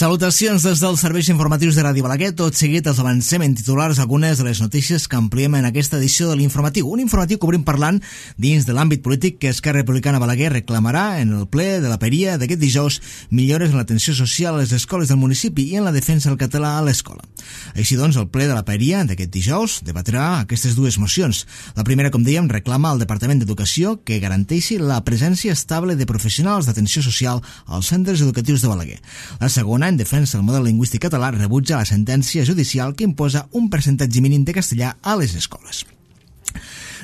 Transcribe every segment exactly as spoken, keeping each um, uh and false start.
Salutacions des dels serveis informatius de Ràdio Balaguer. Tot seguit els avancem en titulars algunes de les notícies que ampliem en aquesta edició de l'informatiu. Un informatiu que obrim parlant dins de l'àmbit polític que Esquerra Republicana Balaguer reclamarà en el ple de la Peria d'aquest dijous millores en l'atenció social a les escoles del municipi i en la defensa del català a l'escola. Així doncs, el ple de la Peria d'aquest dijous debatrà aquestes dues mocions. La primera, com dèiem, reclama al Departament d'Educació que garanteixi la presència estable de professionals d'atenció social als centres educatius de Balaguer. La segona, en defensa del model lingüístic català, rebutja la sentència judicial que imposa un percentatge mínim de castellà a les escoles.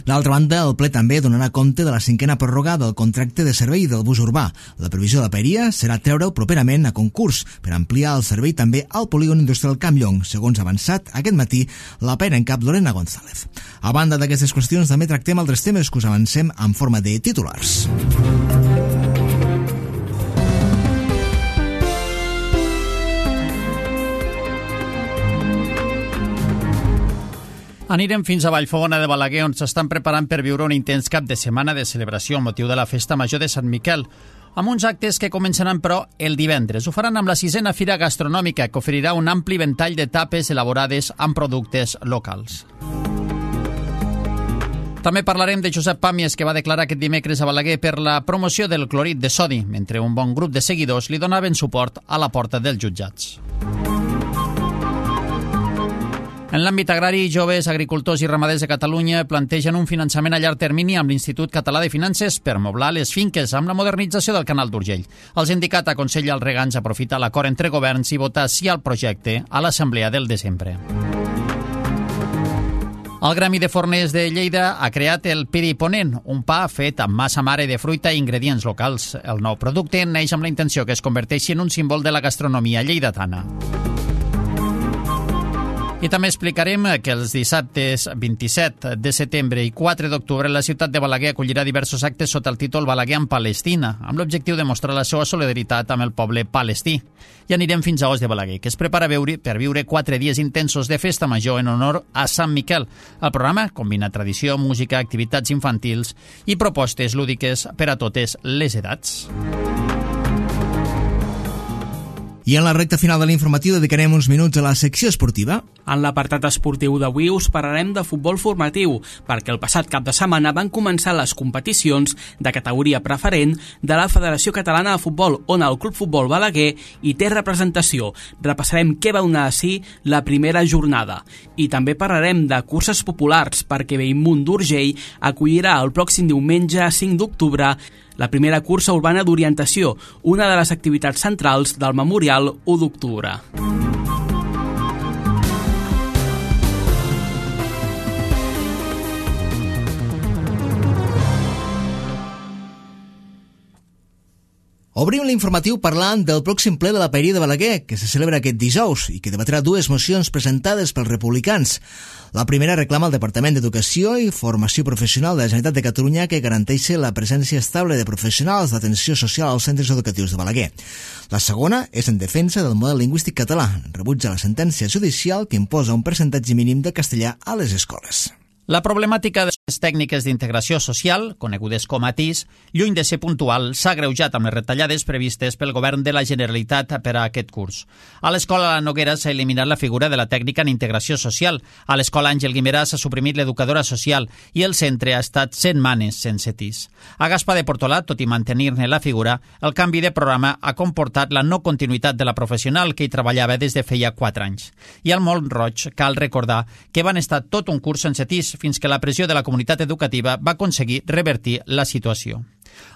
D'altra banda, el ple també donarà compte de la cinquena pròrroga del contracte de servei del bus urbà. La previsió de la Peria serà treure'l properament a concurs per ampliar el servei també al polígon industrial Campllong, segons ha avançat aquest matí la pera en cap Lorena González. A banda d'aquestes qüestions, també tractem altres temes que us avancem en forma de titulars. Anirem fins a Vallfogona de Balaguer, on s'estan preparant per viure un intens cap de setmana de celebració amb motiu de la Festa Major de Sant Miquel, amb uns actes que començaran, però, el divendres. Ho faran amb la sisena Fira Gastronòmica, que oferirà un ampli ventall de tapes elaborades amb productes locals. També parlarem de Josep Pàmies, que va declarar aquest dimecres a Balaguer per la promoció del clorit de sodi, mentre un bon grup de seguidors li donaven suport a la porta dels jutjats. En l'àmbit agrari, joves, agricultors i ramaders de Catalunya plantegen un finançament a llarg termini amb l'Institut Català de Finances per moblar les finques amb la modernització del canal d'Urgell. El sindicat aconsella als regants aprofitar l'acord entre governs i votar sí al projecte a l'assemblea del desembre. El Gremi de Forners de Lleida ha creat el Piri Ponent, un pa fet amb massa mare de fruita i ingredients locals. El nou producte neix amb la intenció que es converteixi en un símbol de la gastronomia lleidatana. I també explicarem que els dissabtes vint-i-set de setembre i quatre d'octubre la ciutat de Balaguer acollirà diversos actes sota el títol Balaguer en Palestina, amb l'objectiu de mostrar la seva solidaritat amb el poble palestí. I anirem fins a Os de Balaguer, que es prepara per viure quatre dies intensos de festa major en honor a Sant Miquel. El programa combina tradició, música, activitats infantils i propostes lúdiques per a totes les edats. I en la recta final de l'informatiu dedicarem uns minuts a la secció esportiva. En l'apartat esportiu d'avui us parlarem de futbol formatiu, perquè el passat cap de setmana van començar les competicions de categoria preferent de la Federació Catalana de Futbol, on el Club Futbol Balaguer hi té representació. Repassarem què va donar a si la primera jornada. I també parlarem de curses populars, perquè Bellmunt d'Urgell acollirà el pròxim diumenge cinc d'octubre la primera cursa urbana d'orientació, una de les activitats centrals del Memorial u d'octubre. Obrim l'informatiu parlant del pròxim ple de la Peria de Balaguer, que se celebra aquest dijous i que debatrà dues mocions presentades pels republicans. La primera reclama al Departament d'Educació i Formació Professional de la Generalitat de Catalunya que garanteixi la presència estable de professionals d'atenció social als centres educatius de Balaguer. La segona és en defensa del model lingüístic català. Rebutja la sentència judicial que imposa un percentatge mínim de castellà a les escoles. La problemàtica de les tècniques d'integració social, conegudes com a T I S, lluny de ser puntual, s'ha agreujat amb les retallades previstes pel govern de la Generalitat per a aquest curs. A l'escola La Noguera s'ha eliminat la figura de la tècnica en integració social, a l'escola Àngel Guimerà s'ha suprimit l'educadora social i el centre ha estat setmanes sense T I S. A Gaspar de Portolat, tot i mantenir-ne la figura, el canvi de programa ha comportat la no continuïtat de la professional que hi treballava des de feia quatre anys. I al Mont Roig cal recordar que van estar tot un curs sense T I S fins que la pressió de la comunitat educativa va aconseguir revertir la situació.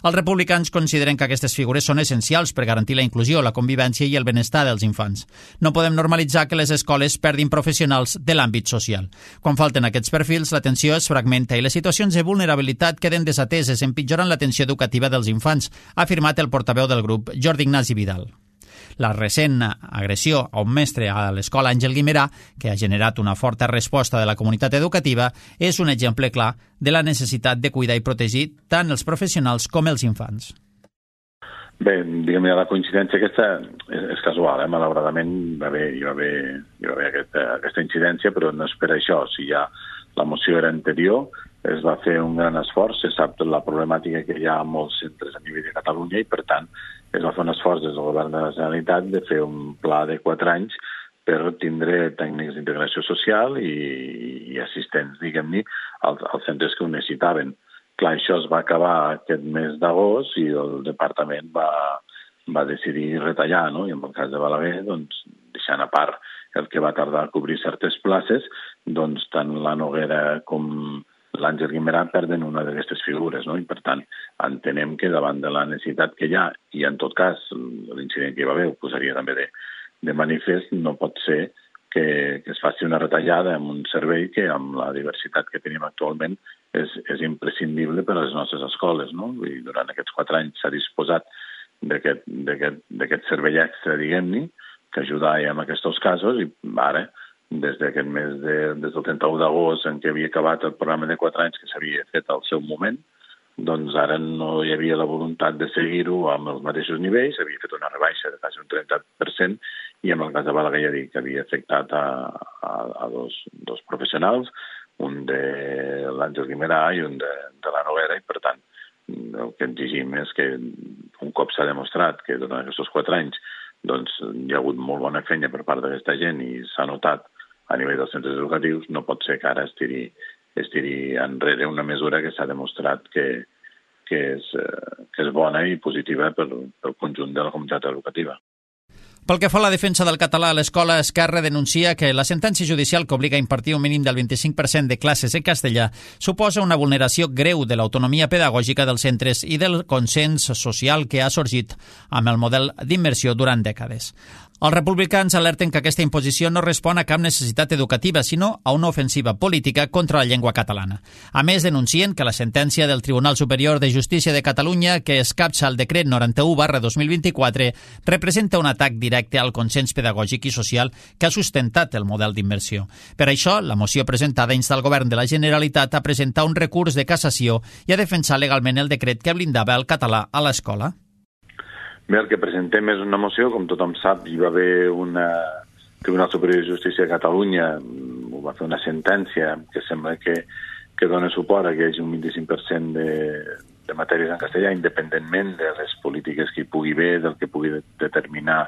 Els republicans consideren que aquestes figures són essencials per garantir la inclusió, la convivència i el benestar dels infants. No podem normalitzar que les escoles perdin professionals de l'àmbit social. Quan falten aquests perfils, l'atenció es fragmenta i les situacions de vulnerabilitat queden desateses, empitjorant l'atenció educativa dels infants, ha afirmat el portaveu del grup, Jordi Ignasi Vidal. La recent agressió a un mestre a l'escola Àngel Guimerà, que ha generat una forta resposta de la comunitat educativa, és un exemple clar de la necessitat de cuidar i protegir tant els professionals com els infants. Bé, diguem, la coincidència aquesta és, és casual, eh? Malauradament va haver, hi va haver, hi va haver aquesta, aquesta incidència, però no és per això. O sigui, ja la moció era anterior es va fer un gran esforç, se sap la problemàtica que hi ha a molts centres a nivell de Catalunya i, per tant, es va fer un esforç des del govern de la Generalitat de fer un pla de quatre anys per tindre tècnics d'integració social i, i assistents, diguem-ne, als, als centres que ho necessitaven. Clar, això es va acabar aquest mes d'agost i el departament va, va decidir retallar, no? I en el cas de Balaguer, doncs, deixant a part el que va tardar a cobrir certes places, doncs tant la Noguera com l'Àngel Guimerà perden una d'aquestes figures, no? I per tant entenem que davant de la necessitat que hi ha, i en tot cas l'incident que hi va haver ho posaria també de, de manifest, no pot ser que, que es faci una retallada en un servei que amb la diversitat que tenim actualment és, és imprescindible per a les nostres escoles, no? I durant aquests quatre anys s'ha disposat d'aquest servei extra, diguem-ne, que ajudava en aquests casos, i ara, des d'aquest mes de, des del trenta-u d'agost en què havia acabat el programa de quatre anys que s'havia fet al seu moment, doncs ara no hi havia la voluntat de seguir-ho amb els mateixos nivells, havia fet una rebaixa de quasi un trenta per cent i en el cas de Balaguer ja dic que havia afectat a, a, a dos, dos professionals, un de l'Àngel Guimerà i un de, de la Noguera, i per tant el que exigim és que un cop s'ha demostrat que durant aquests quatre anys doncs, hi ha hagut molt bona feina per part d'aquesta gent i s'ha notat a nivell dels centres educatius, no pot ser que ara es tiri, es tiri enrere una mesura que s'ha demostrat que, que, és, que és bona i positiva pel, pel conjunt de la comunitat educativa. Pel que fa a la defensa del català a l'escola, Esquerra denuncia que la sentència judicial que obliga a impartir un mínim del vint-i-cinc per cent de classes en castellà suposa una vulneració greu de l'autonomia pedagògica dels centres i del consens social que ha sorgit amb el model d'immersió durant dècades. Els republicans alerten que aquesta imposició no respon a cap necessitat educativa, sinó a una ofensiva política contra la llengua catalana. A més, denuncien que la sentència del Tribunal Superior de Justícia de Catalunya, que escapça el decret noranta-u barra dos mil vint-i-quatre, representa un atac directe al consens pedagògic i social que ha sustentat el model d'immersió. Per això, la moció presentada insta el govern de la Generalitat a presentar un recurs de cassació i a defensar legalment el decret que blindava el català a l'escola. Bé, el que presentem és una moció, com tothom sap, hi va haver una Tribunal Superior de Justícia de Catalunya, ho va fer una sentència que sembla que, que dona suport a que hi hagi un vint-i-cinc per cent de, de matèries en castellà, independentment de les polítiques que hi pugui haver, del que pugui determinar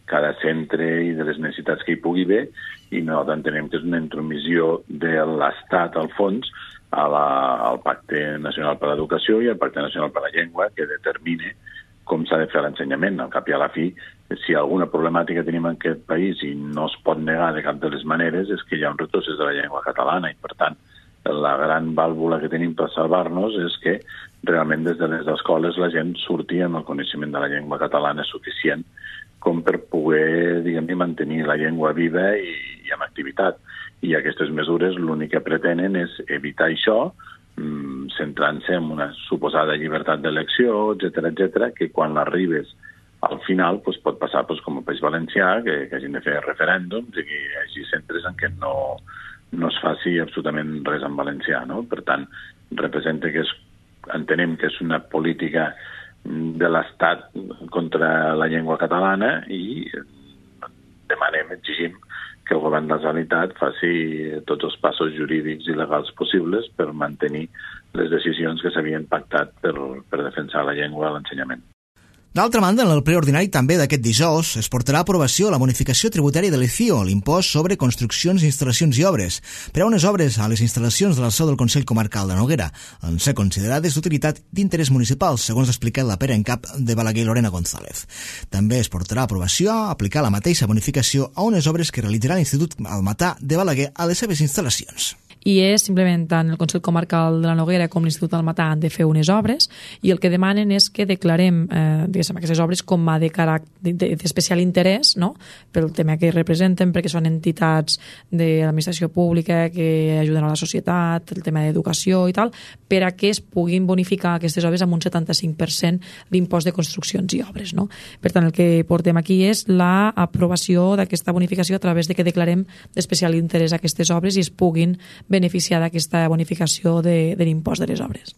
cada centre i de les necessitats que hi pugui haver, i nosaltres entenem que és una intromissió de l'Estat, al fons, a la, al Pacte Nacional per a l'Educació i al Pacte Nacional per a la Llengua, que determina com s'ha de fer l'ensenyament. Al cap i a la fi, si alguna problemàtica tenim en aquest país i no es pot negar de cap de les maneres, és que hi ha un retrocés de la llengua catalana i, per tant, la gran vàlvula que tenim per salvar-nos és que realment des de les escoles la gent surti amb el coneixement de la llengua catalana suficient com per poder, diguem-ne, mantenir la llengua viva i, i amb activitat. I aquestes mesures l'únic que pretenen és evitar això, centrant-se en una suposada llibertat d'elecció, etcètera, etcètera, que quan l'arribes al final pues, pot passar pues, com el País Valencià, que, que hagin de fer referèndums i que hi hagi centres en què no, no es faci absolutament res en valencià. No? Per tant, representa que és, entenem que és una política de l'Estat contra la llengua catalana i demanem, exigim, que el govern de la Generalitat faci tots els passos jurídics i legals possibles per mantenir les decisions que s'havien pactat per, per defensar la llengua a l'ensenyament. D'altra banda, en el ple ordinari també d'aquest dijous es portarà a aprovació la bonificació tributària de l'E C I O, l'impost sobre construccions, instal·lacions i obres, per a unes obres a les instal·lacions de la seu del Consell Comarcal de Noguera, en ser considerades d'utilitat d'interès municipal, segons ha explicat la pera en cap de Balaguer Lorena González. També es portarà a aprovació a aplicar la mateixa bonificació a unes obres que realitzarà l'Institut Almatà de Balaguer a les seves instal·lacions. I és simplement tant el Consell Comarcal de la Noguera com l'Institut Almatà han de fer unes obres i el que demanen és que declarem eh, aquestes obres com a de caràcter d'especial interès, no? Pel tema que representen, perquè són entitats de l'administració pública que ajuden a la societat, el tema d'educació i tal, per a que es puguin bonificar aquestes obres amb un setanta-cinc per cent l'impost de construccions i obres. No? Per tant, el que portem aquí és l'aprovació d'aquesta bonificació a través de que declarem d'especial interès aquestes obres i es puguin beneficiar d'aquesta bonificació de, de l'impost de les obres.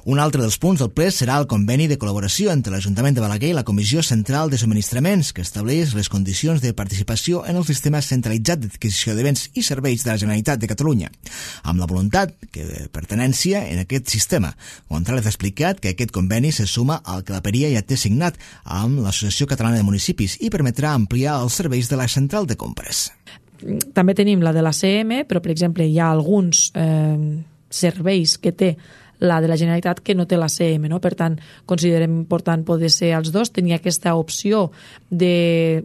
Un altre dels punts del ple serà el conveni de col·laboració entre l'Ajuntament de Balaguer i la Comissió Central de Subministraments, que estableix les condicions de participació en el sistema centralitzat d'adquisició de béns i serveis de la Generalitat de Catalunya, amb la voluntat que de pertenència en aquest sistema. González ha explicat que aquest conveni se suma al que la Peria ja té signat amb l'Associació Catalana de Municipis i permetrà ampliar els serveis de la central de compres. També tenim la de l'A C M, però, per exemple, hi ha alguns eh, serveis que té la de la Generalitat que no té l'A C M, no? Per tant, considerem important poder ser els dos, tenir aquesta opció de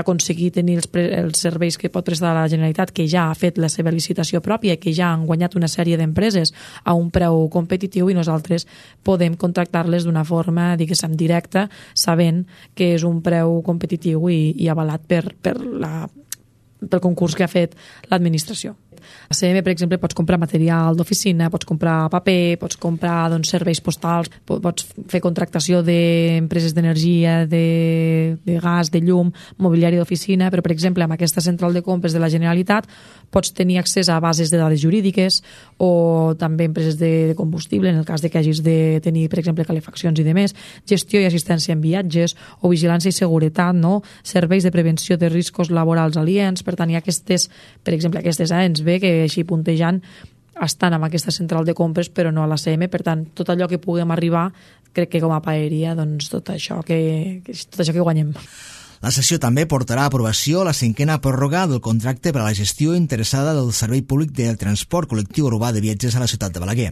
aconseguir tenir els, els serveis que pot prestar la Generalitat, que ja ha fet la seva licitació pròpia, que ja han guanyat una sèrie d'empreses a un preu competitiu i nosaltres podem contractar-les d'una forma, diguéssim, directa, sabent que és un preu competitiu i, i avalat per, per la, pel concurs que ha fet l'administració. A C M, per exemple, pots comprar material d'oficina, pots comprar paper, pots comprar doncs, serveis postals, pots fer contractació d'empreses d'energia, de, de gas, de llum, mobiliari d'oficina, però, per exemple, amb aquesta central de compres de la Generalitat pots tenir accés a bases de dades jurídiques o també empreses de combustible, en el cas de que hagis de tenir, per exemple, calefaccions i demés, gestió i assistència en viatges o vigilància i seguretat, no? Serveis de prevenció de riscos laborals aliens. Per tant, hi ha aquestes, per exemple, aquestes A ens ve que així puntejant estan amb aquesta central de compres però no a l'A C M, per tant tot allò que puguem arribar crec que com a paeria doncs tot això que, tot això que guanyem. La sessió també portarà a aprovació la cinquena pròrroga del contracte per a la gestió interessada del Servei Públic del Transport Col·lectiu Urbà de Viatgers a la ciutat de Balaguer.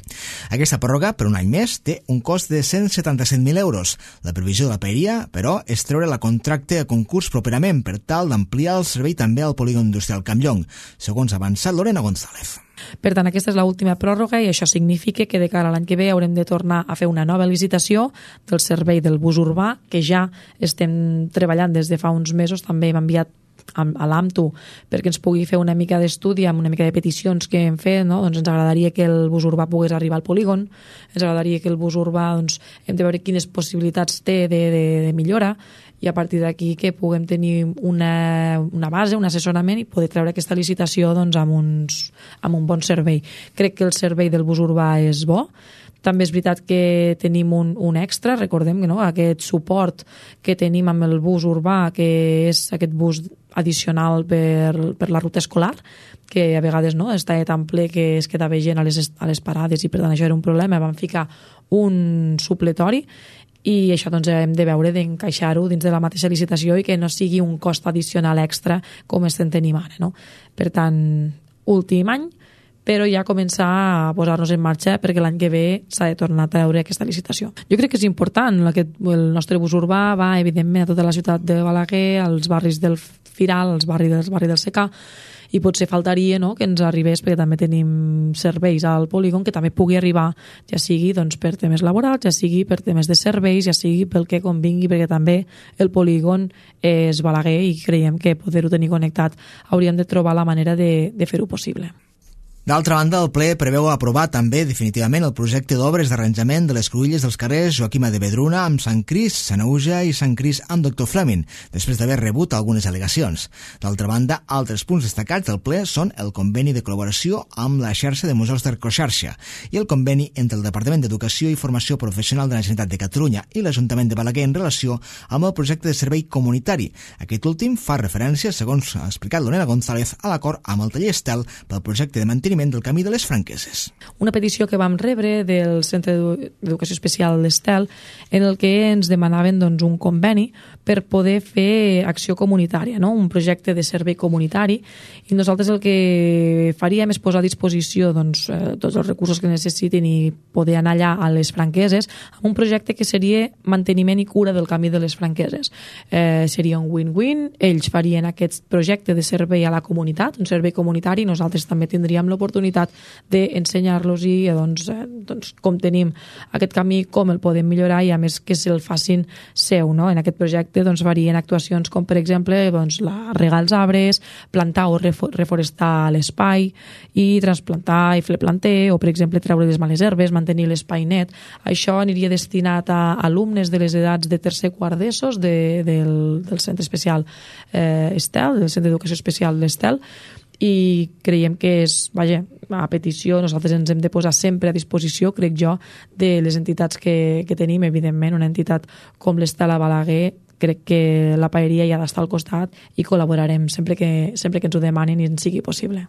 Aquesta pròrroga, per un any més, té un cost de cent setanta-set mil euros. La previsió de la paeria, però, és treure la contracte a concurs properament per tal d'ampliar el servei també al polígon industrial Campllong, segons ha avançat Lorena González. Per tant, aquesta és l'última pròrroga i això significa que de cara a l'any que ve haurem de tornar a fer una nova licitació del servei del bus urbà, que ja estem treballant des de fa uns mesos. També hem enviat a l'A M T U perquè ens pugui fer una mica d'estudi amb una mica de peticions que hem fet, no? Doncs ens agradaria que el bus urbà pogués arribar al polígon, ens agradaria que el bus urbà, doncs, hem de veure quines possibilitats té de, de, de millora i a partir d'aquí que puguem tenir una, una base, un assessorament i poder treure aquesta licitació doncs, amb, uns, amb un bon servei. Crec que el servei del bus urbà és bo. També és veritat que tenim un, un extra, recordem que no? Aquest suport que tenim amb el bus urbà, que és aquest bus addicional per, per la ruta escolar, que a vegades no, està tan ple que es quedava gent a les, a les parades i per tant això era un problema. Vam ficar un supletori i això doncs, hem de veure d'encaixar-ho dins de la mateixa licitació i que no sigui un cost addicional extra com estem tenint ara. No? Per tant, últim any, però ja començar a posar-nos en marxa perquè l'any que ve s'ha de tornar a treure aquesta licitació. Jo crec que és important, aquest, el nostre bus urbà va evidentment a tota la ciutat de Balaguer, als barris del Firal, als barris del barri del Secà, i potser faltaria no, que ens arribés, perquè també tenim serveis al polígon, que també pugui arribar, ja sigui doncs, per temes laborals, ja sigui per temes de serveis, ja sigui pel que convingui, perquè també el polígon és Balaguer i creiem que poder-ho tenir connectat hauríem de trobar la manera de, de fer-ho possible. D'altra banda, el ple preveu aprovar també definitivament el projecte d'obres d'arranjament de les cruïlles dels carrers Joaquima de Vedruna amb Sant Cris, Sanaüja i Sant Cris amb Doctor Fleming, després d'haver rebut algunes al·legacions. D'altra banda, altres punts destacats del ple són el conveni de col·laboració amb la xarxa de museus d'Arcoxarxa i el conveni entre el Departament d'Educació i Formació Professional de la Generalitat de Catalunya i l'Ajuntament de Balaguer en relació amb el projecte de servei comunitari. Aquest últim fa referència, segons ha explicat Lorena González, a l'acord amb el taller Estel pel projecte de manteniment del camí de les Franqueses. Una petició que vam rebre del Centre d'Educació Especial d'Estel en el que ens demanaven doncs, un conveni per poder fer acció comunitària, no? Un projecte de servei comunitari, i nosaltres el que faríem és posar a disposició doncs, tots els recursos que necessitin i poder anar allà a les Franqueses amb un projecte que seria manteniment i cura del camí de les Franqueses. Eh, seria un win-win, ells farien aquest projecte de servei a la comunitat, un servei comunitari, nosaltres també tindríem l'oportunitat oportunitat d'ensenyar-los i doncs, eh, doncs, com tenim aquest camí, com el podem millorar i a més que se'l facin seu. No? En aquest projecte doncs, varien actuacions com per exemple doncs, la regar els arbres, plantar o reforestar l'espai i transplantar i fer planter o per exemple treure les males herbes, mantenir l'espai net. Això aniria destinat a alumnes de les edats de tercer quart d'ESOs de, del, del Centre Especial eh, Estel, del Centre d'Educació Especial d'Estel, i creiem que és, vaja, a petició, nosaltres ens hem de posar sempre a disposició, crec jo, de les entitats que, que tenim, evidentment, una entitat com l'Estela Balaguer, crec que la paeria hi ha d'estar al costat i col·laborarem sempre que, sempre que ens ho demanin i ens sigui possible.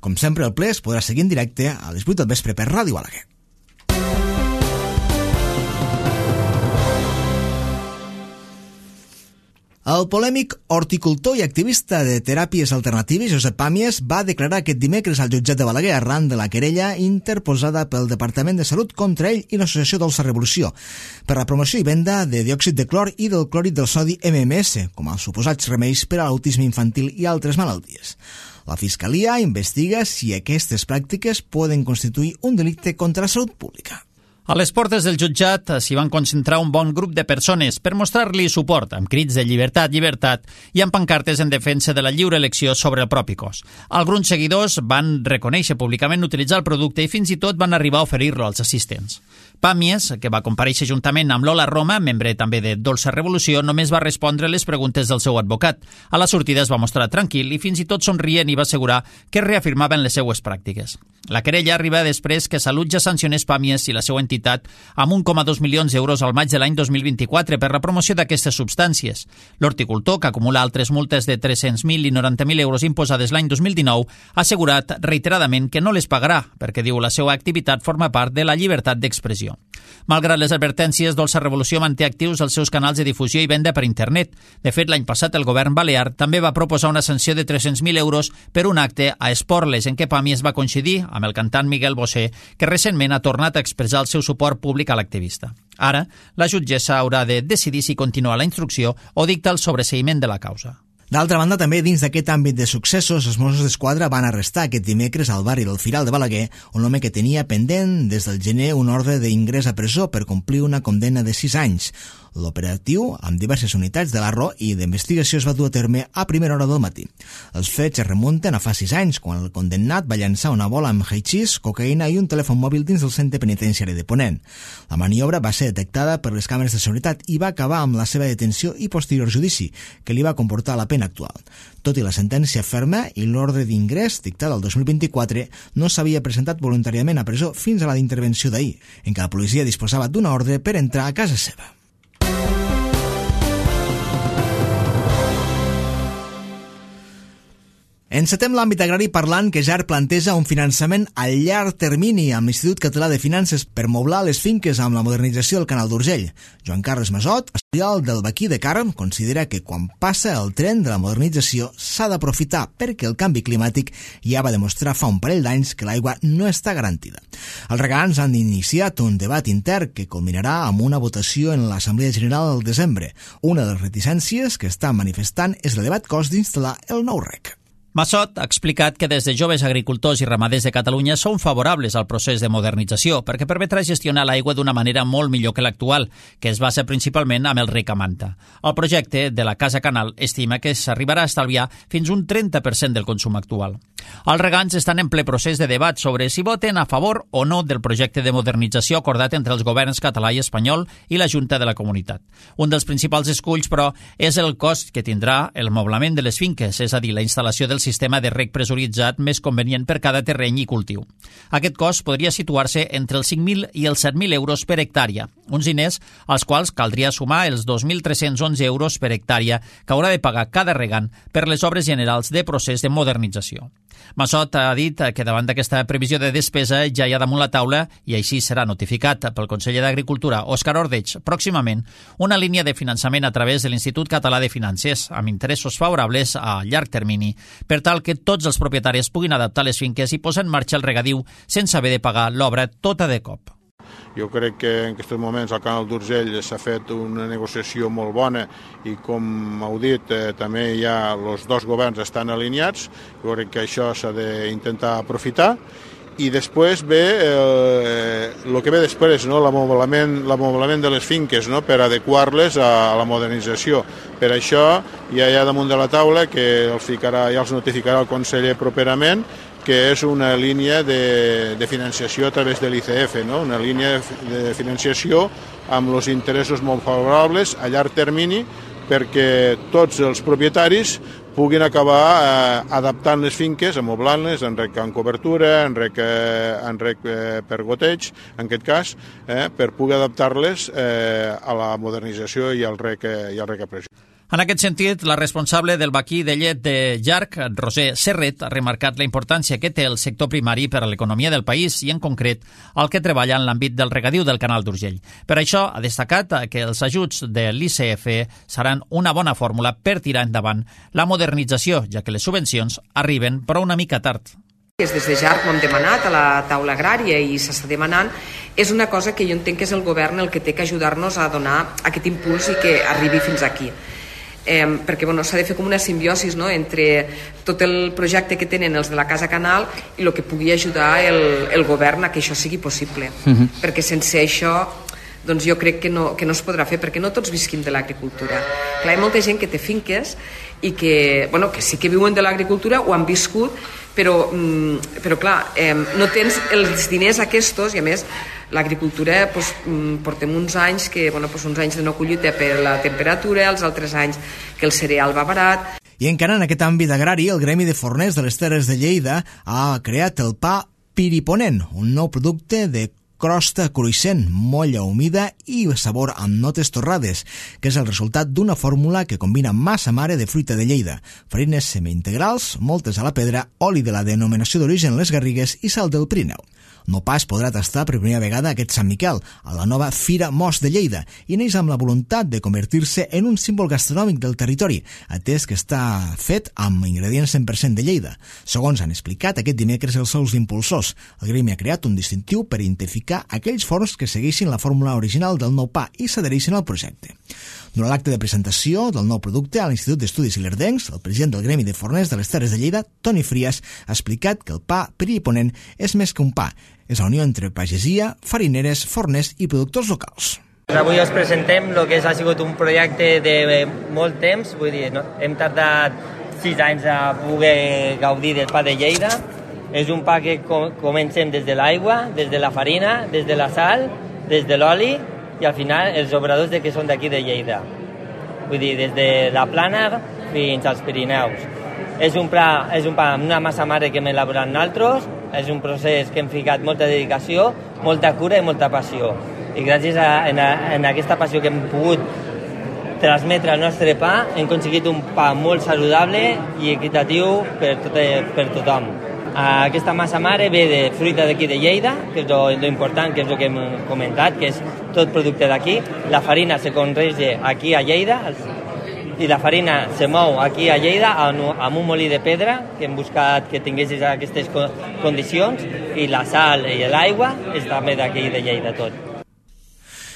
Com sempre, el ple es podrà seguir en directe a les vuit del vespre per Ràdio Balaguer. El polèmic horticultor i activista de teràpies alternatives, Josep Pàmies, va declarar aquest dimecres al jutjat de Balaguer arran de la querella interposada pel Departament de Salut contra ell i l'associació Dolça Revolució per la promoció i venda de diòxid de clor i del clòrid del sodi M M S, com els suposats remeis per a l'autisme infantil i altres malalties. La Fiscalia investiga si aquestes pràctiques poden constituir un delicte contra la salut pública. A les portes del jutjat s'hi van concentrar un bon grup de persones per mostrar-li suport, amb crits de llibertat, llibertat i amb pancartes en defensa de la lliure elecció sobre el propi cos. Alguns seguidors van reconèixer públicament utilitzar el producte i fins i tot van arribar a oferir-lo als assistents. Pàmies, que va comparèixer juntament amb Lola Roma, membre també de Dolça Revolució, només va respondre les preguntes del seu advocat. A la sortida es va mostrar tranquil i fins i tot somrient i va assegurar que reafirmaven les seues pràctiques. La querella arriba després que Salut ja sancionés Pàmies i la seva entitat amb un coma dos milions d'euros al maig de l'any dos mil vint-i-quatre per la promoció d'aquestes substàncies. L'horticultor, que acumula altres multes de tres-cents mil i noranta mil euros imposades l'any dos mil dinou, ha assegurat reiteradament que no les pagarà, perquè diu la seva activitat forma part de la llibertat d'expressió. Malgrat les advertències, Dolça Revolució manté actius els seus canals de difusió i venda per internet. De fet, l'any passat el govern balear també va proposar una sanció de tres-cents mil euros per un acte a Esporles en què Pàmies va coincidir amb el cantant Miguel Bosé, que recentment ha tornat a expressar el seu suport públic a l'activista. Ara, la jutgessa haurà de decidir si continua la instrucció o dicta el sobreseïment de la causa. D'altra banda, també dins d'aquest àmbit de successos, els Mossos d'Esquadra van arrestar aquest dimecres al barri del Firal de Balaguer un home que tenia pendent des del gener un ordre d'ingrés a presó per complir una condemna de sis anys. L'operatiu, amb diverses unitats de l'A R O i d'investigació, es va dur a terme a primera hora del matí. Els fets es remunten a fa sis anys, quan el condemnat va llançar una bola amb haixís, cocaïna i un telèfon mòbil dins del centre penitenciari de Ponent. La maniobra va ser detectada per les càmeres de seguretat i va acabar amb la seva detenció i posterior judici, que li va comportar la pena actual. Tot i la sentència ferma i l'ordre d'ingrés dictada el dos mil vint-i-quatre, no s'havia presentat voluntàriament a presó fins a la d'intervenció d'ahir, en què la policia disposava d'una ordre per entrar a casa seva. Encetem l'àmbit agrari parlant que Jar planteja un finançament a llarg termini amb l'Institut Català de Finances per moblar les finques amb la modernització del Canal d'Urgell. Joan Carles Masot, estudiant del Baquí de Carm, considera que quan passa el tren de la modernització s'ha d'aprofitar perquè el canvi climàtic ja va demostrar fa un parell d'anys que l'aigua no està garantida. Els regants han iniciat un debat intern que culminarà amb una votació en l'Assemblea General del desembre. Una de les reticències que estan manifestant és l'elevat cost d'instal·lar el nou rec. Masot ha explicat que des de joves agricultors i ramaders de Catalunya són favorables al procés de modernització perquè permetrà gestionar l'aigua d'una manera molt millor que l'actual, que es basa principalment amb el rec a manta. El projecte de la Casa Canal estima que s'arribarà a estalviar fins un trenta per cent del consum actual. Els regants estan en ple procés de debat sobre si voten a favor o no del projecte de modernització acordat entre els governs català i espanyol i la Junta de la Comunitat. Un dels principals esculls, però, és el cost que tindrà el moblament de les finques, és a dir, la instal·lació del sistema de rec pressuritzat més convenient per cada terreny i cultiu. Aquest cost podria situar-se entre els cinc mil i els set mil euros per hectàrea, uns diners als quals caldria sumar els dos mil tres-cents onze euros per hectàrea que haurà de pagar cada regant per les obres generals de procés de modernització. Masot ha dit que davant d'aquesta previsió de despesa ja hi ha damunt la taula, i així serà notificat pel conseller d'Agricultura, Òscar Ordeig, pròximament, una línia de finançament a través de l'Institut Català de Finances, amb interessos favorables a llarg termini, per tal que tots els propietaris puguin adaptar les finques i posar en marxa el regadiu sense haver de pagar l'obra tota de cop. Jo crec que en aquests moments al Canal d'Urgell s'ha fet una negociació molt bona i, com heu dit, eh, també hi ha els dos governs estan alineats. Jo crec que això s'ha d'intentar aprofitar. I després ve eh, el que ve després, no? l'amoblament l'amoblament de les finques, no? Per adequar-les a la modernització. Per això ja hi ha damunt de la taula, que els ficarà, ja els notificarà el conseller properament, que és una línia de, de financiació a través de l'I C F, no? Una línia de financiació amb els interessos molt favorables a llarg termini perquè tots els propietaris puguin acabar eh, adaptant les finques, amoblant-les, en rec en cobertura, en rec, eh, en rec eh, per goteig, en aquest cas, eh, per poder adaptar-les eh, a la modernització i al rec, eh, i al rec a pressió. En aquest sentit, la responsable del vaquí de llet de Llarg, Roser Serret, ha remarcat la importància que té el sector primari per a l'economia del país i, en concret, el que treballa en l'àmbit del regadiu del Canal d'Urgell. Per això, ha destacat que els ajuts de l'I C F seran una bona fórmula per tirar endavant la modernització, ja que les subvencions arriben però una mica tard. Des de Llarg ho hem demanat a la taula agrària i s'està demanant. És una cosa que jo entenc que és el govern el que té que ajudar-nos a donar aquest impuls i que arribi fins aquí. Eh, perquè bueno, s'ha de fer com una simbiosi, no?, entre tot el projecte que tenen els de la Casa Canal i el que pugui ajudar el, el govern a que això sigui possible. Uh-huh. Perquè sense això doncs jo crec que no, que no es podrà fer, perquè no tots visquim de l'agricultura. Clar, hi ha molta gent que té finques i que, bueno, que sí que viuen de l'agricultura, ho han viscut, però, mm, però clar, eh, no tens els diners aquests, i a més l'agricultura doncs, portem uns anys que, bueno, doncs uns anys de no collita per la temperatura, els altres anys que el cereal va barat. I encara en aquest àmbit agrari, el Gremi de Forners de les Terres de Lleida ha creat el pa Piriponent, un nou producte de crosta cruixent, molla humida i sabor amb notes torrades, que és el resultat d'una fórmula que combina massa mare de fruita de Lleida, farines semi-integrals, moltes a la pedra, oli de la denominació d'origen Les Garrigues i sal del Pirineu. No pas podrà tastar per primera vegada aquest Sant Miquel, a la nova Fira Mos de Lleida, i neix amb la voluntat de convertir-se en un símbol gastronòmic del territori, atès que està fet amb ingredients cent per cent de Lleida. Segons han explicat aquest dimecres els seus impulsors, el Gremi ha creat un distintiu per identificar aquells forns que segueixin la fórmula original del nou pa i s'adhereixin al projecte. Durant l'acte de presentació del nou producte a l'Institut d'Estudis Ilerdencs, el president del Gremi de Forners de les Terres de Lleida, Toni Frias, ha explicat que el pa Piriponent és més que un pa, és la unió entre pagesia, farineres, forners i productors locals. Avui us presentem el que ha sigut un projecte de molt temps, vull dir, no? Hem tardat sis anys a poder gaudir del pa de Lleida. És un pa que comencem des de l'aigua, des de la farina, des de la sal, des de l'oli, i al final els obradors de que són d'aquí de Lleida. Vull dir, des de la Plana fins als Pirineus. És un, pla, és un pa amb una massa mare que hem elaborat nosaltres, és un procés que hem ficat molta dedicació, molta cura i molta passió. I gràcies a, en, a, en aquesta passió que hem pogut transmetre el nostre pa, hem aconseguit un pa molt saludable i equitatiu per, tot, per tothom. Aquesta massa mare ve de fruita d'aquí de Lleida, que és lo, lo important, que és el que hem comentat, que és tot producte d'aquí. La farina se conrega aquí a Lleida i la farina se mou aquí a Lleida amb un molí de pedra que hem buscat que tinguessis aquestes condicions, i la sal i l'aigua és també d'aquí de Lleida tot.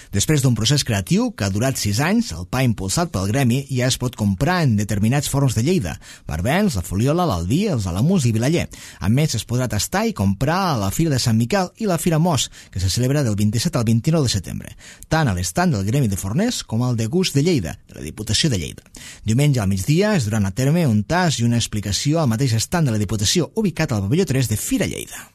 Després d'un procés creatiu que ha durat sis anys, el pa impulsat pel Gremi ja es pot comprar en determinats forns de Lleida: Barbens, la Foliola, l'Albí, els Alamús i Vilaller. A més, es podrà tastar i comprar a la Fira de Sant Miquel i la Fira Mos, que se celebra del vint-i-set al vint-i-nou de setembre, tant a l'estand del Gremi de Forners com al de Gust de Lleida, de la Diputació de Lleida. Diumenge al migdia es duran a terme un tas i una explicació al mateix estand de la Diputació, ubicat al pavelló tres de Fira Lleida.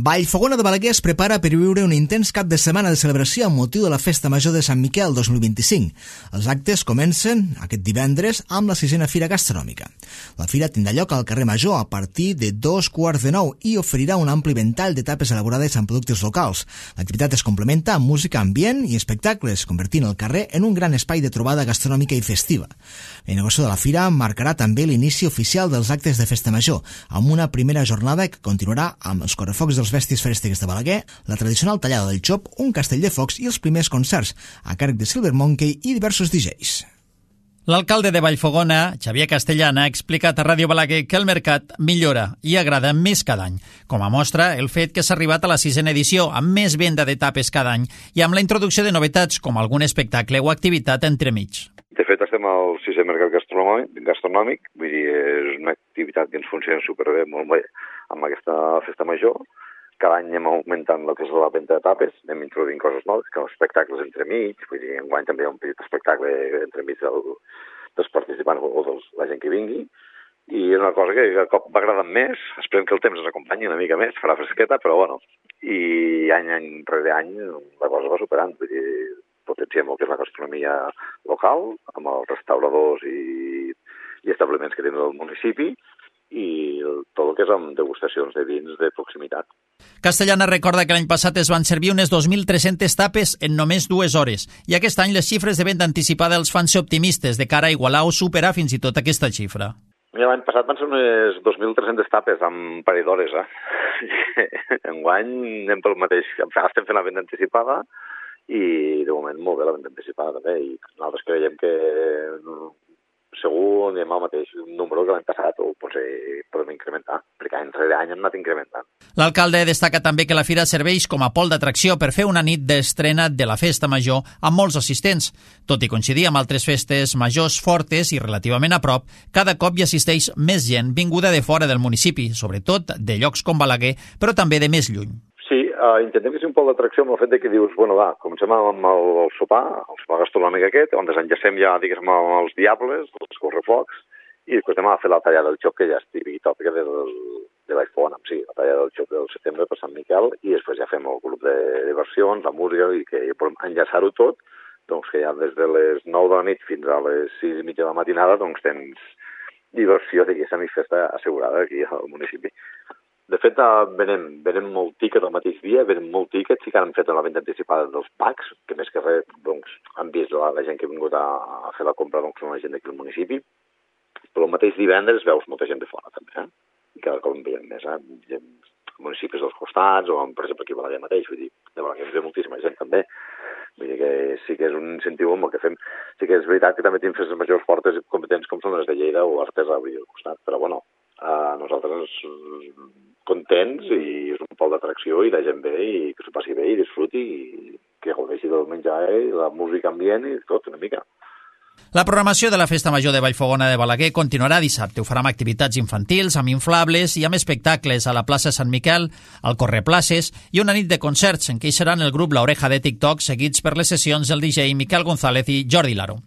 Vallfogona de Balaguer es prepara per viure un intens cap de setmana de celebració amb motiu de la Festa Major de Sant Miquel dos mil vint-i-cinc. Els actes comencen aquest divendres amb la sisena Fira Gastronòmica. La fira tindrà lloc al carrer Major a partir de dos quarts de nou i oferirà un ampli ventall de tapes elaborades amb productes locals. L'activitat es complementa amb música ambient i espectacles, convertint el carrer en un gran espai de trobada gastronòmica i festiva. La inauguració de la fira marcarà també l'inici oficial dels actes de Festa Major, amb una primera jornada que continuarà amb els correfocs dels bèsties fèrestiques de Balaguer, la tradicional tallada del xop, un castell de focs i els primers concerts, a càrrec de Silver Monkey i diversos D Js. L'alcalde de Vallfogona, Xavier Castellana, ha explicat a Ràdio Balaguer que el mercat millora i agrada més cada any. Com a mostra, el fet que s'ha arribat a la sisena edició amb més venda d'etapes cada any i amb la introducció de novetats com algun espectacle o activitat entremig. De fet, estem al sisè mercat gastronòmic, gastronòmic, vull dir, és una activitat que ens funciona superbé, molt bé, amb aquesta festa major. Cada any anem augmentant el que és la venda d'etapes, anem introduint coses noves, com espectacles entremig, vull dir, enguany també hi ha un petit espectacle entremig del, dels participants o de la gent que vingui, i és una cosa que a cop va agradant més, esperem que el temps ens acompanyi una mica més, farà fresqueta, però bueno, i any, any rere any la cosa va superant. Vull dir, potenciem el que és la gastronomia local, amb els restauradors i, i establiments que tenen el municipi, i tot el que és amb degustacions de vins de proximitat. Castellana recorda que l'any passat es van servir unes dos mil tres-centes tapes en només dues hores i aquest any les xifres de venda anticipada els fan ser optimistes de cara a igualar o superar fins i tot aquesta xifra. Mira, l'any passat van ser unes dos mil tres-centes tapes amb parell d'hores, eh? Enguany anem pel mateix. Estem fent la venda anticipada i de moment molt bé la venda anticipada també, i nosaltres creiem que segur anem al mateix número que l'any passat o potser podem incrementar, perquè any rere any hem anat incrementant. L'alcalde destaca també que la fira serveix com a pol d'atracció per fer una nit d'estrena de la festa major amb molts assistents. Tot i coincidir amb altres festes majors fortes i relativament a prop, cada cop hi assisteix més gent vinguda de fora del municipi, sobretot de llocs com Balaguer, però també de més lluny. Sí, uh, intentem que sigui un pol d'atracció amb el fet de que dius, bueno, va, comencem amb el, el sopar, el sopar gastronòmic aquest, on desenllacem ja, diguéssim, amb els diables, els correfocs, i després anem a fer la tallada del xoc, que ja és típic i tòpica del, de Vallfogona, sí, la tallada del xoc del setembre per Sant Miquel, i després ja fem el grup de diversions, la música, i que podem enllaçar-ho tot, doncs que ja des de les nou de la nit fins a les sis i mitja de la matinada, doncs tens diversió, diguéssim, i festa assegurada aquí al municipi. De fet, venem, venem molt tíquet el mateix dia, venem molt tíquet, sí que han fet una venda anticipada dels packs, que més que res doncs, han vist la, la gent que ha vingut a, a fer la compra, doncs són la gent d'aquí al municipi, però el mateix divendres veus molta gent de fora també, eh? I cada cop en veiem més, eh? Gent, municipis dels costats, o per exemple aquí a Balaguer mateix, vull dir, de Balaguer ens ve moltíssima gent també, vull dir que sí que és un incentiu amb el que fem, sí que és veritat que també tenim festes majors fortes i competents com són les de Lleida o Artesa, vull dir, al costat, però bueno, uh, nosaltres contents i és un pol d'atracció i la gent ve i que s'ho passi bé i disfruti i que gaudeixi del menjar i la música ambient i tot una mica. La programació de la Festa Major de Vallfogona de Balaguer continuarà dissabte. Ho farà amb activitats infantils, amb inflables i amb espectacles a la plaça Sant Miquel, al Correplaces i una nit de concerts en què hi seran el grup La Oreja de TikTok, seguits per les sessions del D J Miquel González i Jordi Laro.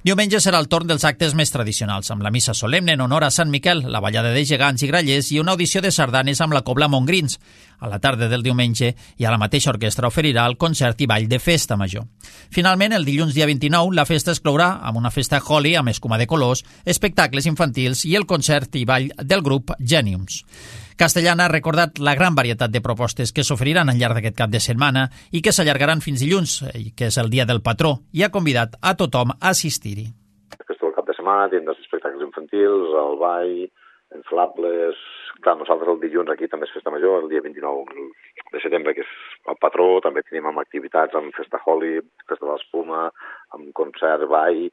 Diumenge serà el torn dels actes més tradicionals, amb la missa solemne en honor a Sant Miquel, la ballada de gegants i grallers i una audició de sardanes amb la Cobla Montgrins. A la tarda del diumenge i a la mateixa orquestra oferirà el concert i ball de Festa Major. Finalment, el dilluns dia vint-i-nou, la festa es clourà amb una festa Holi amb escuma de colors, espectacles infantils i el concert i ball del grup Geniums. Castellana ha recordat la gran varietat de propostes que s'oferiran al llarg d'aquest cap de setmana i que s'allargaran fins dilluns, que és el dia del patró, i ha convidat a tothom a assistir-hi. Aquest el cap de setmana tindrà els espectacles infantils, el ball, inflables. Clar, nosaltres el dilluns aquí també és Festa Major, el dia vint-i-nou de setembre, que és el patró, també tenim amb activitats, amb Festa Holi, Festa de l'Espuma, amb concert, ball,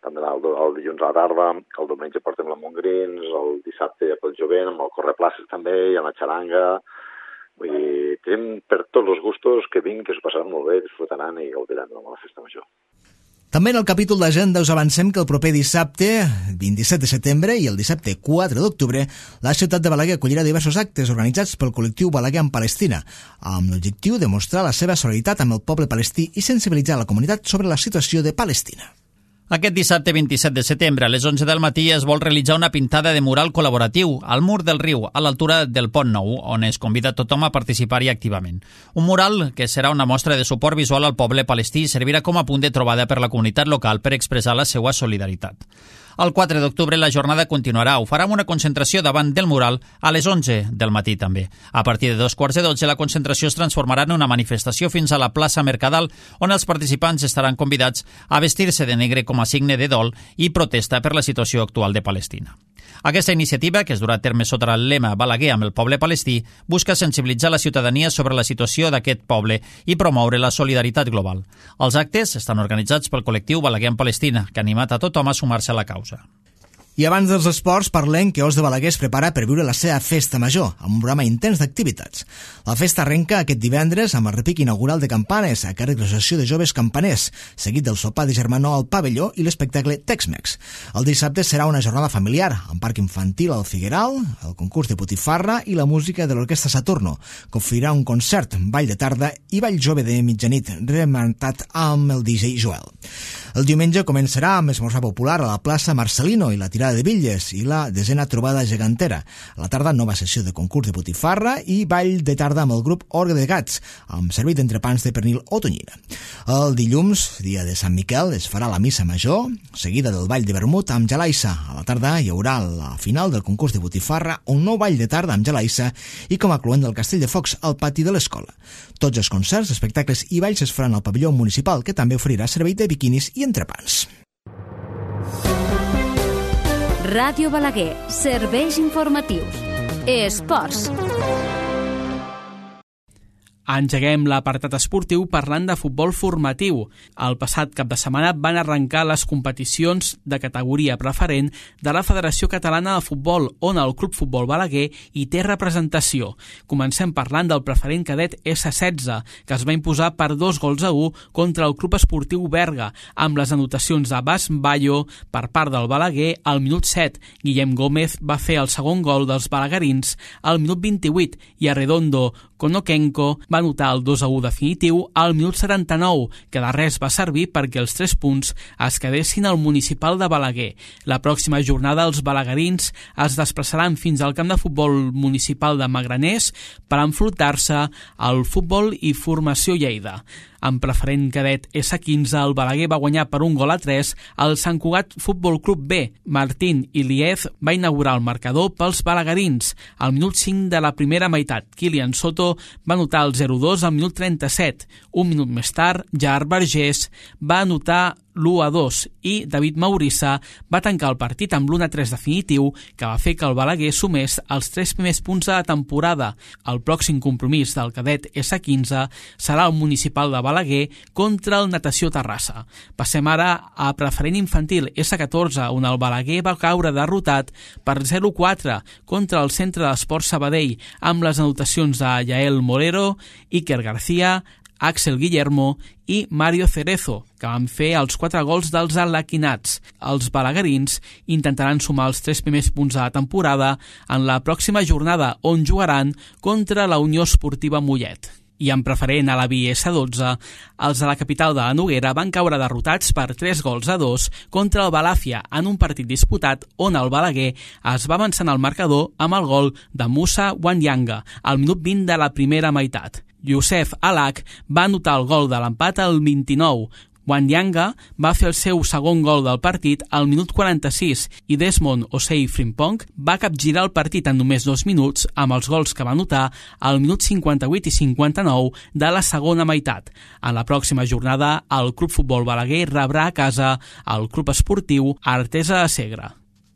també el, el dilluns a la tarda, el diumenge portem la Montgrins, el dissabte pel jovent, amb el Correplaces també, i amb la xaranga. Vull dir, tenim per tots els gustos que vinguin, que s'ho passaran molt bé, disfrutaran i gaudiran de la Festa Major. També en el capítol d'agenda us avancem que el proper dissabte, vint-i-set de setembre, i el dissabte quatre d'octubre, la ciutat de Balaguer acollirà diversos actes organitzats pel col·lectiu Balaguer en Palestina, amb l'objectiu de mostrar la seva solidaritat amb el poble palestí i sensibilitzar la comunitat sobre la situació de Palestina. Aquest dissabte vint-i-set de setembre a les onze del matí es vol realitzar una pintada de mural col·laboratiu al mur del riu, a l'altura del Pont Nou, on es convida tothom a participar-hi activament. Un mural que serà una mostra de suport visual al poble palestí i servirà com a punt de trobada per la comunitat local per expressar la seva solidaritat. El quatre d'octubre la jornada continuarà. Ho farà amb una concentració davant del mural a les onze del matí també. A partir de dos quarts de dotze la concentració es transformarà en una manifestació fins a la plaça Mercadal, on els participants estaran convidats a vestir-se de negre com a signe de dol i protesta per la situació actual de Palestina. Aquesta iniciativa, que es durà a terme sota el lema Balaguer amb el poble palestí, busca sensibilitzar la ciutadania sobre la situació d'aquest poble i promoure la solidaritat global. Els actes estan organitzats pel col·lectiu Balaguer en Palestina, que ha animat a tothom a sumar-se a la causa. I abans dels esports parlem que Os de Balaguer es prepara per viure la seva festa major, amb un programa intens d'activitats. La festa arrenca aquest divendres amb el repic inaugural de campanes a càrrec de l'Associació de Joves Campaners, seguit del sopar de germanor al pavelló i l'espectacle Tex-Mex. El dissabte serà una jornada familiar, amb parc infantil al Figueral, el concurs de Botifarra i la música de l'Orquestra Saturno, que oferirà un concert, ball de tarda i ball jove de mitjanit, rementat amb el D J Joel. El diumenge començarà amb esmorzar popular a la plaça Marcelino i la tirada Gelada de Bitlles i la desena trobada gegantera. A la tarda, nova sessió de concurs de botifarra i ball de tarda amb el grup Orgue de Gats, amb servei d'entrepans de pernil o tonyina. El dilluns, dia de Sant Miquel, es farà la missa major, seguida del ball de vermut amb gelaissa. A la tarda hi haurà la final del concurs de botifarra, un nou ball de tarda amb gelaissa i com a cluent del Castell de Focs al pati de l'escola. Tots els concerts, espectacles i balls es faran al pavelló municipal, que també oferirà servei de biquinis i entrepans. Ràdio Balaguer, serveis informatius. Esports. Engeguem l'apartat esportiu parlant de futbol formatiu. El passat cap de setmana van arrencar les competicions de categoria preferent de la Federació Catalana de Futbol, on el Club Futbol Balaguer hi té representació. Comencem parlant del preferent cadet esse setze, que es va imposar per dos gols a u contra el Club Esportiu Berga, amb les anotacions de Bas Bayo per part del Balaguer al minut set. Guillem Gómez va fer el segon gol dels balaguerins al minut vint-i-vuit i Arredondo Konokenko va anotar el dos a u definitiu al minut setanta-nou, que de res va servir perquè els tres punts es quedessin al municipal de Balaguer. La pròxima jornada els balaguerins es desplaçaran fins al camp de futbol municipal de Magraners per enfrontar-se al Futbol i Formació Lleida. En preferent cadet esse quinze, el Balaguer va guanyar per un gol a tres al Sant Cugat Futbol Club B. Martín Iliez va inaugurar el marcador pels balaguerins. Al minut cinc de la primera meitat, Kilian Soto va anotar el zero dos al minut trenta-set. Un minut més tard, Gerard Vergés va anotar l'u a dos i David Maurissa va tancar el partit amb l'u a tres definitiu, que va fer que el Balaguer sumés els tres primers punts de la temporada. El pròxim compromís del cadet esse quinze serà el municipal de Balaguer contra el Natació Terrassa. Passem ara a preferent infantil esse catorze, on el Balaguer va caure derrotat per zero a quatre contra el Centre d'Esports Sabadell, amb les anotacions de Yael Morero, Iker García, Axel Guillermo i Mario Cerezo, que van fer els quatre gols dels alaquinats. Els balaguerins intentaran sumar els tres primers punts de la temporada en la pròxima jornada, on jugaran contra la Unió Esportiva Mollet. I en preferent a la B esse dotze, els de la capital de la Noguera van caure derrotats per tres gols a dos contra el Balàfia en un partit disputat on el Balaguer es va avançant al marcador amb el gol de Musa Wanyanga al minut vint de la primera meitat. Youssef Alak va anotar el gol de l'empat al vint-i-nou. Wanyanga va fer el seu segon gol del partit al minut quaranta-sis i Desmond Osei Frimpong va capgirar el partit en només dos minuts amb els gols que va anotar al minut cinquanta-vuit i cinquanta-nou de la segona meitat. En la pròxima jornada, el Club Futbol Balaguer rebrà a casa el Club Esportiu Artesa de Segre.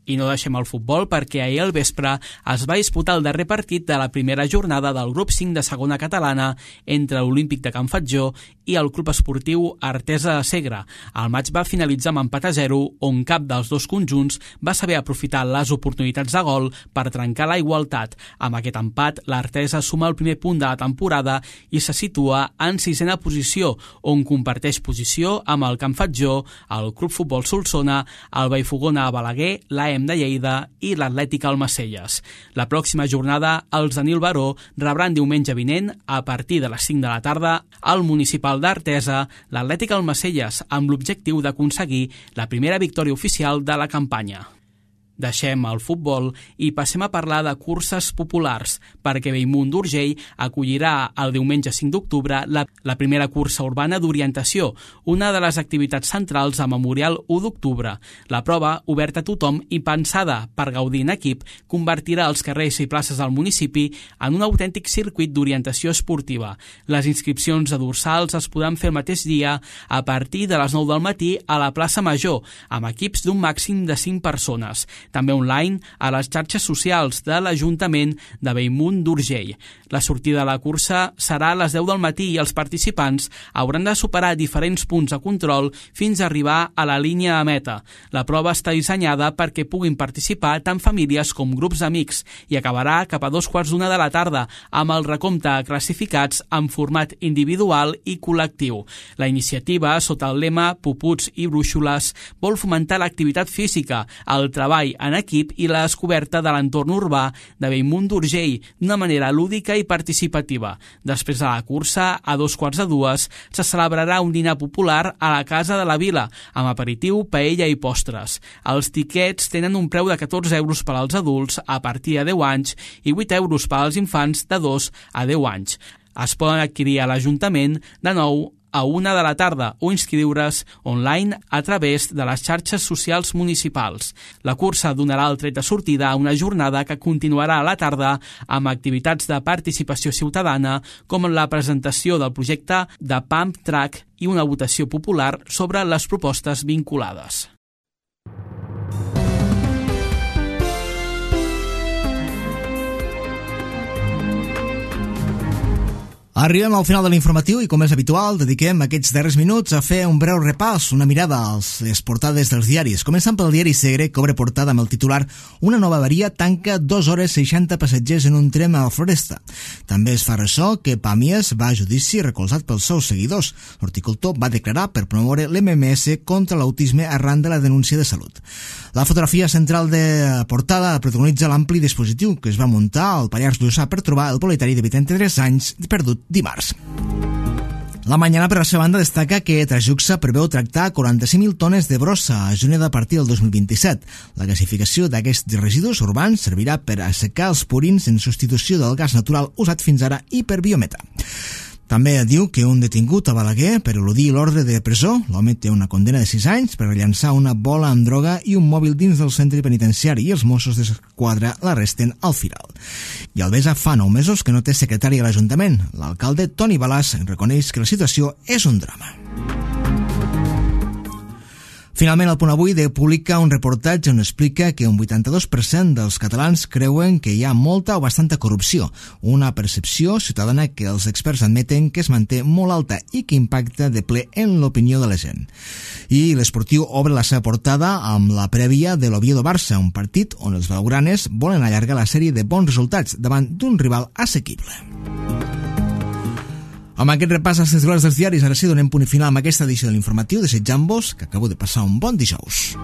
I no deixem el futbol perquè ahir al vespre es va disputar el darrer partit de la primera jornada del grup cinc de segona catalana entre l'Olímpic de Can Fatjó i el Club Esportiu Artesa de Segre. El maig va finalitzar amb empat a zero, on cap dels dos conjunts va saber aprofitar les oportunitats de gol per trencar la igualtat. Amb aquest empat, l'Artesa suma el primer punt de la temporada i se situa en sisena posició, on comparteix posició amb el Can Fatjó, el Club Futbol Solsona, el Vallfogona a Balaguer, l'A E M de Lleida i l'Atlètic Almacelles. La pròxima jornada, els de Nil Baró rebran diumenge vinent, a partir de les cinc de la tarda, al municipal d'Artesa, l'Atlètic Almacelles, amb l'objectiu d'aconseguir la primera victòria oficial de la campanya. Deixem el futbol i passem a parlar de curses populars, perquè Bellmunt d'Urgell acollirà el diumenge cinc d'octubre la, la primera cursa urbana d'orientació, una de les activitats centrals a Memorial u d'octubre. La prova, oberta a tothom i pensada per gaudir en equip, convertirà els carrers i places del municipi en un autèntic circuit d'orientació esportiva. Les inscripcions de dorsals es podran fer el mateix dia a partir de les nou del matí a la plaça Major, amb equips d'un màxim de cinc persones. També online a les xarxes socials de l'Ajuntament de Bellmunt d'Urgell. La sortida de la cursa serà a les deu del matí i els participants hauran de superar diferents punts de control fins a arribar a la línia de meta. La prova està dissenyada perquè puguin participar tant famílies com grups d'amics i acabarà cap a dos quarts d'una de la tarda amb el recompte de classificats en format individual i col·lectiu. La iniciativa, sota el lema Puputs i Brúixoles, vol fomentar l'activitat física, el treball en equip i la descoberta de l'entorn urbà de Bellmunt d'Urgell d'una manera lúdica i participativa. Després de la cursa, a dos quarts de dues, se celebrarà un dinar popular a la Casa de la Vila, amb aperitiu, paella i postres. Els tiquets tenen un preu de catorze euros per als adults a partir de deu anys i vuit euros per als infants de dos a deu anys. Es poden adquirir a l'Ajuntament de nou a una de la tarda o inscriure's online a través de les xarxes socials municipals. La cursa donarà el tret de sortida a una jornada que continuarà a la tarda amb activitats de participació ciutadana com la presentació del projecte de Pump Track i una votació popular sobre les propostes vinculades. Arribem al final de l'informatiu i, com és habitual, dediquem aquests darrers minuts a fer un breu repàs, una mirada a les portades dels diaris. Començant pel diari Segre, que obre portada amb el titular «Una nova avaria tanca dues hores seixanta passatgers en un tren a la Floresta». També es fa ressò que Pàmies va a judici recolzat pels seus seguidors. L'horticultor va declarar per promoure l'M M S contra l'autisme arran de la denúncia de salut. La fotografia central de portada protagonitza l'ampli dispositiu que es va muntar al Pallars Jussà per trobar el proletari de vuitanta-tres anys perdut dimarts. La Mañana, per la seva banda, destaca que Trajuxa preveu tractar quaranta-cinc mil tones de brossa a Juneda a partir del dos mil vint-i-set. La gasificació d'aquests residus urbans servirà per assecar els purins en substitució del gas natural usat fins ara i per biometà. També diu que un detingut a Balaguer per eludir l'ordre de presó, l'home té una condena de sis anys per llançar una bola amb droga i un mòbil dins del centre penitenciari i els Mossos d'Esquadra l'arresten al Firal. I Albesa fa nou mesos que no té secretari a l'Ajuntament. L'alcalde Toni Balàs reconeix que la situació és un drama. Finalment, el Punt Avui publica un reportatge on explica que un vuitanta-dos per cent dels catalans creuen que hi ha molta o bastanta corrupció, una percepció ciutadana que els experts admeten que es manté molt alta i que impacta de ple en l'opinió de la gent. I l'Esportiu obre la seva portada amb la prèvia de l'Oviedo-Barça, un partit on els blaugranes volen allargar la sèrie de bons resultats davant d'un rival assequible. Amb aquest repàs als titulars dels diaris, ara sí donem punt final amb aquesta edició de l'informatiu, desitjant-vos que acabeu de passar un bon dijous.